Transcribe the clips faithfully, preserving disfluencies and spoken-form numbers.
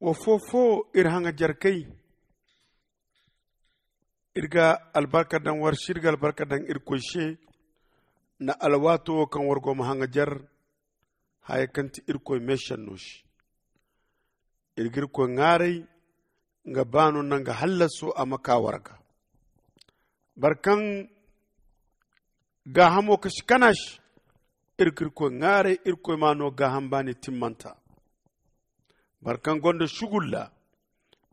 Wa foo-foo iri haŋajarkey, iri ga albarka daŋ war se, iri ga albarka daŋ irkoy se nda alwaato wo kaŋ war go ma haŋajar haya kaŋ ti irkoy meesenno se. Iri ga irkoy ŋwaaray nga baano nda nga hallaso a ma kaa war ga. Boro kaŋ gaahamo ka si kana se, iri ga irkoy ŋwaaray irkoy ma a no gaaham baani timmanta. Boro kaŋ gonda sugulla,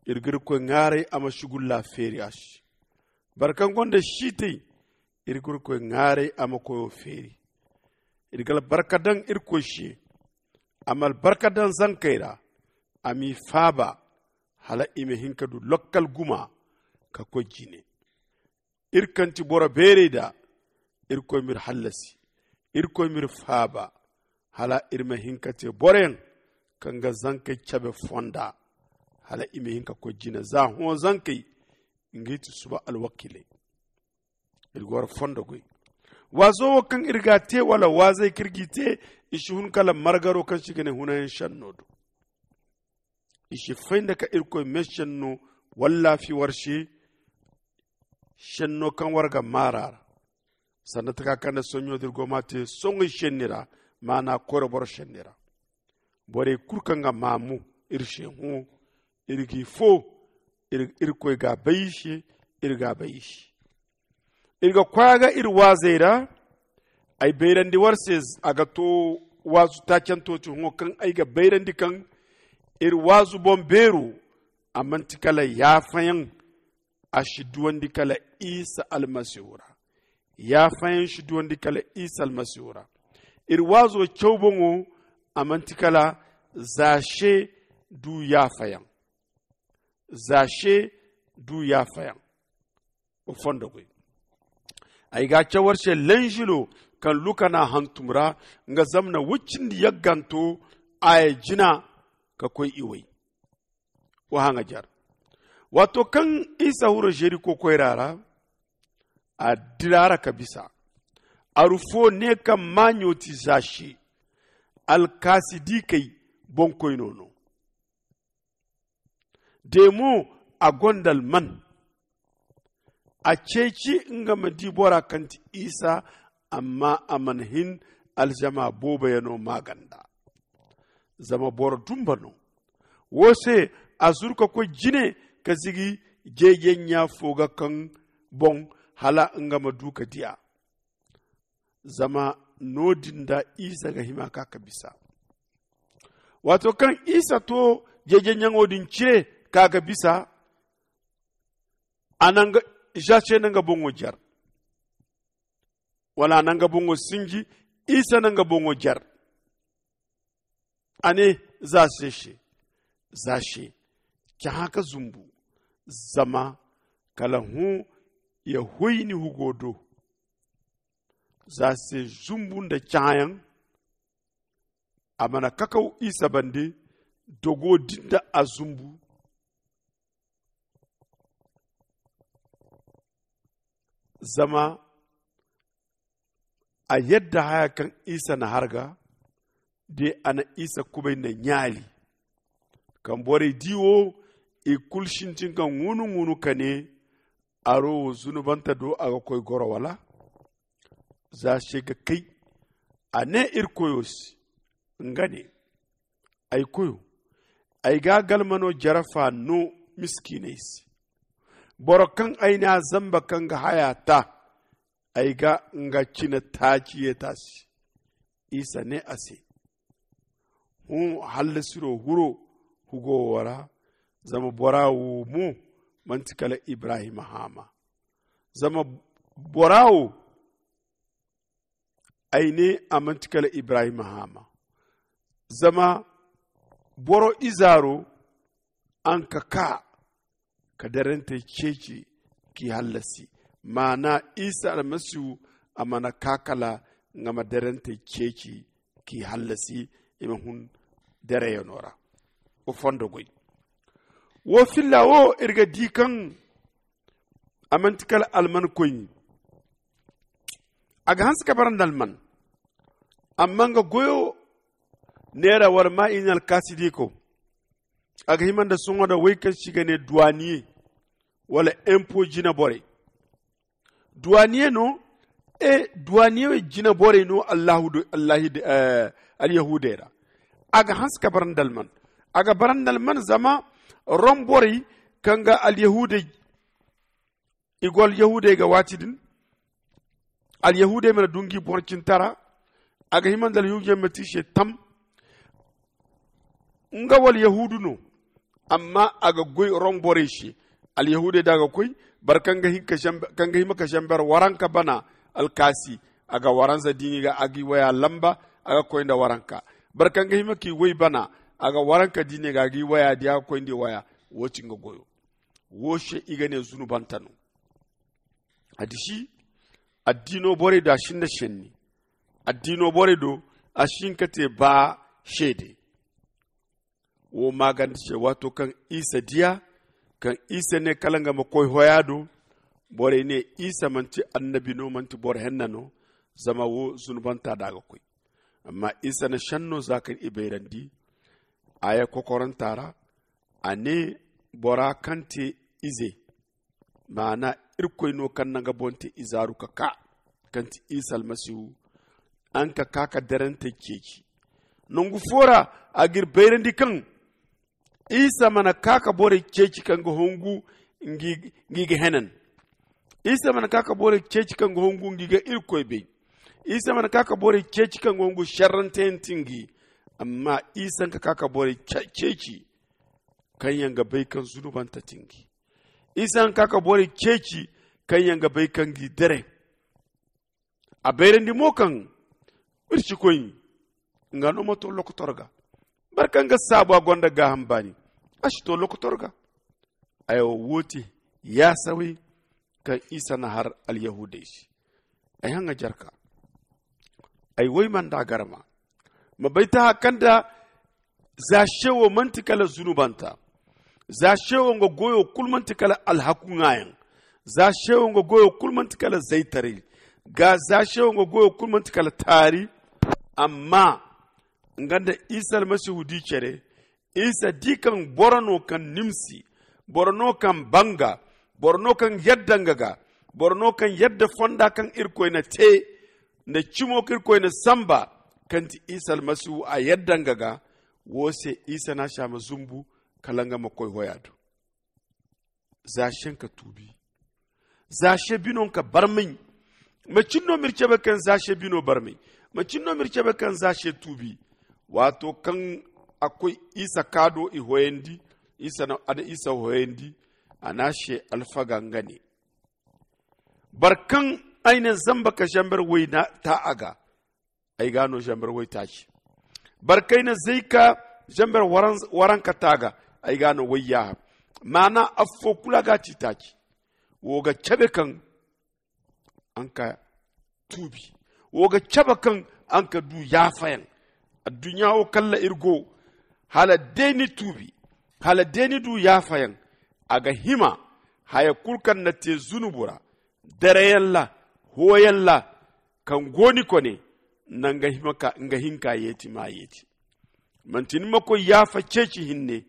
iri ga irkoy ŋwaaray a ma sugulla feeri a se. Boro kaŋ gonda siitay, iri ga irkoy ŋwaaray a ma koyo feeri. Iri ga albarka daŋ irkoy se, a ma albarka daŋ zankey ra, a m'i faaba, hala i ma hin ka du lakkal guma ka koy jine. Iri kaŋ ti boro beerey da, irkoy m'iri hallasi, irkoy m'iri faaba, hala iri ma hin ka te boroyaŋ kaŋ ga zankey cabe fonda, hala i ma hin ka koy jine za hõ zankey. Ngey ti suba alwakiiley. Iri ga war fondo goy. Waazo wo kaŋ iri ga a te wala waazey kaŋ iri g'i te, i si hun kala margaro kaŋ se i ga ne hunayaŋ senno do. I si fay nda ka irkoy meesenno wallaafi war se. Senno kaŋ war ga maar'a ra, sanda taka kaŋ nda soɲõ da iri go m'a te soŋey senni ra, maana koyra boro senni ra. Borey kulu kaŋ ga maamu iri se hõ, iri g'i foo. Irkoy ga a bay i se. Iri ga a bay i se. Iri ga koy a ga iri waazey ra. Ay bayrandi war se a ga to waazu taacanto ti hõ kaŋ ay ga bayrandi kaŋ iri waazu boŋ beero, a manti kala yaafayaŋ. A si duwandi kala isa almasihu ra. Yaafayaŋ si duwandi kala isa almasihu ra. Iri waazo caw boŋo, a manti kala za se du yaafayaŋ. Za se du yaafayaŋ. Wa fondo goy. Ay ga a caw war se lanzilo kaŋ luka n'a hantum ra, nga zamna wuccindi yagganto a ya jina ka koy iway. Wa haŋajar. Waato kaŋ isa huro zeriko koyra ra, a dira ra ka bisa. Aru fo ne kaŋ maaɲo ti za se. Alkaasi di kay boŋkoyno no. De mo a gonda alman. A ceeci nga ma di bora kaŋ ti isa. Amma a mana hin alzama booboyaŋo maaganda. Zama boro dumba no. Wo se a zuru ka koy jine ka zigi jeejeɲɲa fo ga kaŋ boŋ hala nga ma du ka di a. Zama no-din da isa ga hima ka ka bisa. Waato kaŋ isa to jeejeɲɲaŋo din cire ka ga bisa, a na nga za se na nga boŋo jar. Wala a na nga boŋo sinji. Isa na nga boŋo jar. A ne za se se, za se, cahã ka zumbu. Zama kala hõ ya hoy ni hugo do. Za se zumbu nda cahãyaŋ. A mana kakaw isa bande. Dogo din da a zumbu. Zama a yadda haya kaŋ isa na harga. De a na isa kubay na ɲaali. Kaŋ borey di wo, i kulu sintin ka ŋuunu-ŋuunu ka ne, aro wo zunubanta do a ga koy goro wala? Za se ga kay. A ne iri koyo se, nga ne, ay koyo, ay ga galmano jarafa no miskiiney se. Boro kaŋ ay ne a zamba kaŋ ga haya ta, ay ga nga cine taaci yeeta se. Isa ne a se, hõ hallasiro huro hugo wo ra. Zama bora wo mo manti kala ibrahim haama. Zama bora wo ay ne a manti kala ibrahim haama. Zama boro izaaro a na ka kaa ka darantey ceeci k'i hallasi. Maana isa almasihu a mana kaa kala nga ma darantey ceeci k'i hallasi. I ma hun dareyaŋo ra. Wa fondo goy. Wo filla wo iri ga di kaŋ a manti kala alman koyni. A ga hanse ka bara nda alman. Amma nga goyo neera war ma i na alkaasi di ko. A ga hima nda sohõ da wey kaŋ se i ga ne duwaniye wala empo jina borey. Duwaniye no e duwaniye wey jina borey no allahu do allahu do. Alyahudey ra a ga hanse ka bara nda alman. A ga bara nda alman zama rom borey kaŋ ga alyahudey i go alyahudey ga waati din. Alyahudey mana du ngi boŋ cintara a ga hima nda alyahudey ma te i se tam. Nga wala yahudu no amma a ga goy rom borey se. Alyahudey da a ga koy boro kaŋ ga hima ka zamber waranka bana alkaasi a ga waranza diini ga a gi waya lamba a ga koy nda waranka. Boro kaŋ ga hima ki way bana a ga waranka diini ga a gi waya di a ga koy nda waya. Wo ti nga goyo. Wo se i ga ne zunubanta no. A disi addiino borey do a sinda senni. Addiino borey do a si hin ka te ba seede. Wo maaganda se waato kaŋ isa diya kaŋ isa ne kala nga ma koy hoya do. Borey ne isa manti annabi no manti boro henna no. Zama wo zunubanta da a ga koy. Amma isa na senno za kaŋ i bayrandi aya kokoranta ra. A ne bora kaŋ te ize maana irkoy no kaŋ na nga boŋ te izaaru ka kaa kaŋ ti isa almasihu. Araŋ ka kaa ka derantey ceeci nangu fo ra a ga iri bayrandi kaŋ isa mana kaa ka borey ceeci kaŋ ga hongu ngi ga henan. Isa mana kaa ka borey ceeci kaŋ ga hongu ngi ga irkoy bay. Isa mana kaa ka borey ceeci kaŋ ga hongu serranteyaŋ ti ngi. Amma isa nga kaa ka borey ceeci kaŋ yaŋ ga bay kaŋ zunubanta ti ngi. Isa nga kaa ka borey ceeci kaŋ yaŋ ga bay kaŋ gi dere. A bayrandi mo kaŋ iri si koy nga no ma to lokotor ga. Boro kaŋ ga saabu a gonda gaaham baani a si to lokotor ga. Ay wo wo te yaasawey kaŋ isa na har alyahudey se. Ay haŋa jarka ay woy manda garma ma bay taha kaŋ da za se wo manti kala zunubanta. Za se wo nga goyo kulu manti kala alhaku ŋaayaŋ. Za se wo nga goyo kulu manti kala zaytaray. Za se wo nga goyo kulu manti kala taari. Amma nga nda isa almasihu di care isa di kaŋ boro no kaŋ nimsi boro no kaŋ banga boro no kaŋ yadda nga ga boro no kaŋ yadda fonda kaŋ irkoy na te nda cimo kaŋ irkoy na samba kaŋ ti isa almasihu a yadda nga ga. Wo se isa na si a ma zumbu kala nga ma koy hoya do. Za se nga ka tuubi za se bino nga ka barmay. Macin no ma iri cabe kaŋ za se bino barmay? Macin no ma iri cabe kaŋ za se tuubi? Waato kaŋ a koy isa kaado i hoyandi isa na a na isa hoyandi. A na a se alfaga nga ne boro kaŋ ay na zamba ka zamber way ta a ga ay ga no zamber way taaci. Boro kaŋ ay na zay ka zamber waranka ta a ga ay ga no way yaaha. Maana affo kulu a ga a ci taaci. Wo ga cabe kaŋ a na ka tuubi. Wo ga cabe kaŋ a na ka du yaafayaŋ. Adduɲɲa wo kaŋ ra iri go hala day ni tuubi hala day ni du yaafayaŋ. A ga hima haya kulu kaŋ na te zunubu ra dareyaŋ ra hooyaŋ ra kaŋ go ni kone nda nga hinka yeeti ma yeeti. Manti ni ma koy yaafa ceeci hinne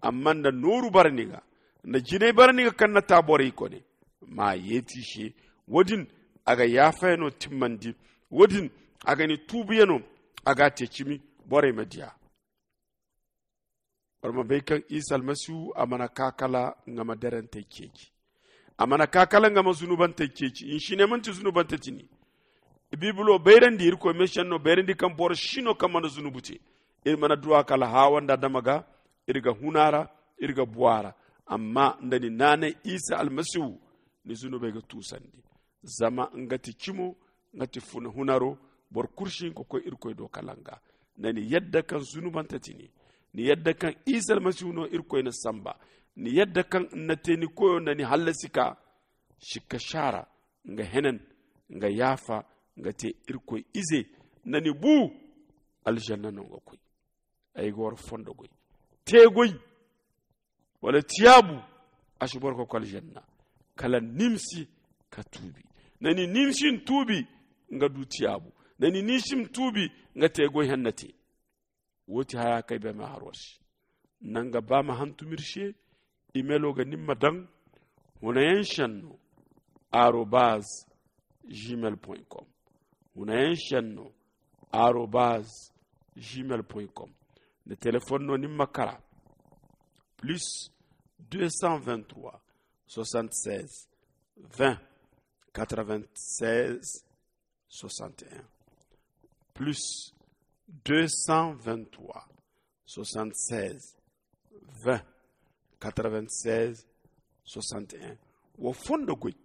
amma nda nooru bara ni ga nda jinay bara ni ga kaŋ na ta borey kone ma yeeti se. Wo-din a ga yaafayano timmandi. Wo-din a ga ni tuubuyano a ga a te cimi borey ma diya. Boro ma bay kaŋ isa almasihu a mana ka kala nga ma derantey ceeci. A mana ka kala nga ma zunubantey ceeci. Hinsi ne manti zunubante tini. Biibilo bayrandi irkoy meesenno bayrandi kaŋ boro si no kaŋ mana zunubu te. Iri mana duwa kala haawa nda adama ga iri ga huna ra iri ga buwa ra. Amma nda ni naanay isa almasihu ni zunubey ga tuusandi. Zama nga ti cimo nga ti hunaro. Boro kulu si hin ka koy irkoy do kala nga. Nda ni yadda kaŋ zunubante ti ni ni yadda kaŋ isa almasihu no irkoy na samba ni yadda kaŋ ni na te ni koyo nda ni hallasi ka sikka saara nga henen nga yaafa nga te irkoy ize nda ni bu aljanna no nga koy. Ay ga war fondo goy te goy wala tiyaabu a si boro ka koy aljanna. Kala nimsi ka tuubi nda ni nimsi ni tuubi nga du tiyaabu nda ni nimsi ni tuubi nga te goy henna te. Wo ti haya kaŋ ay bay ma har war se. Nanga ba ma hantum iri se. Imelo ga nin ma daŋ hunayaŋ senno arobaz gmail point com. Hunayaŋ senno arobaz gmail point com. Ni telefon no nin ma kara plus deux cent vingt trois soixante seize vingt quatre vingt seize soixante et un plus deux cent vingt trois soixante seize vingt quatre vingt seize soixante et un. Wo fondo goy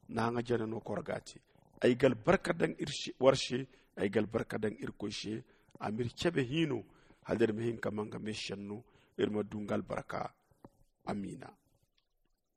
na haŋa jana no korgati. Ay ga albarka daŋ war se. Ay ga albarka daŋ irkoy se. A ma iri cabe hino hala da iri ma hin ka ma nga me senno iri ma du nga albarka. Amiina.